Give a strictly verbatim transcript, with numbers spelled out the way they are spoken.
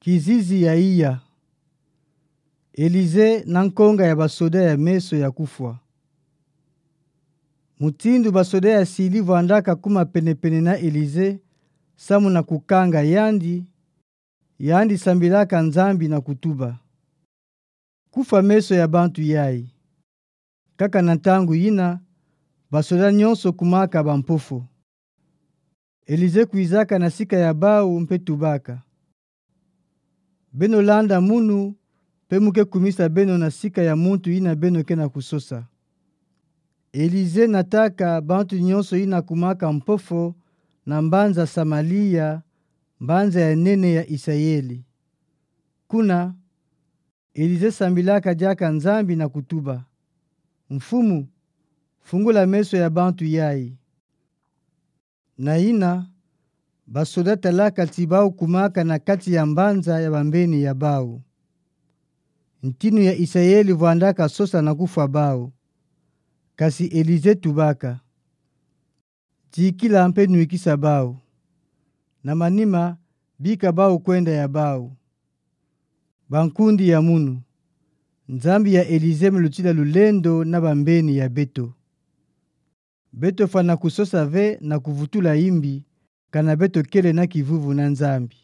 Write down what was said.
Kizizi ya iya. Elize na nkonga ya basoda ya meso ya kufwa. Mutindu basoda ya sili vwandaka kuma penepene na Elize, samu na kukanga yandi, yandi sambilaka Nzambi na kutuba: Kufwa meso ya bantu yayi. Kaka na ntangu yina, basoda nyonso kumaka bampofo. Elize kwizaka na sika ya bawu mpe tubaka: Beno landa munu, mpe mu ke kumisa beno na sika ya muntu yina beno ke na kusosa. Elize nataka bantu nyonso yina kumaka mpofo na mbanza Samalia, mbanza ya nene ya Isayeli. Kuna, Elize sambilaka diaka Nzambi na kutuba: Mfumu, fungula meso ya bantu yayi. Na yina, basoda talaka ti bawu kumaka na kati ya mbanza ya bambeni ya bawu. Ntinu ya Isayeli vwandaka sosa na kufwa bawu. Kasi Elize tubaka: Dikila mpe nwikisa bawu. Na manima, bika bawu kwenda ya bawu. Bankundi ya munu, Nzambi ya Elize melutila lulendo na bambeni ya beto. Beto fwana kusosa ve na kuvutula imbi, kana beto kele na kivuvu na Nzambi.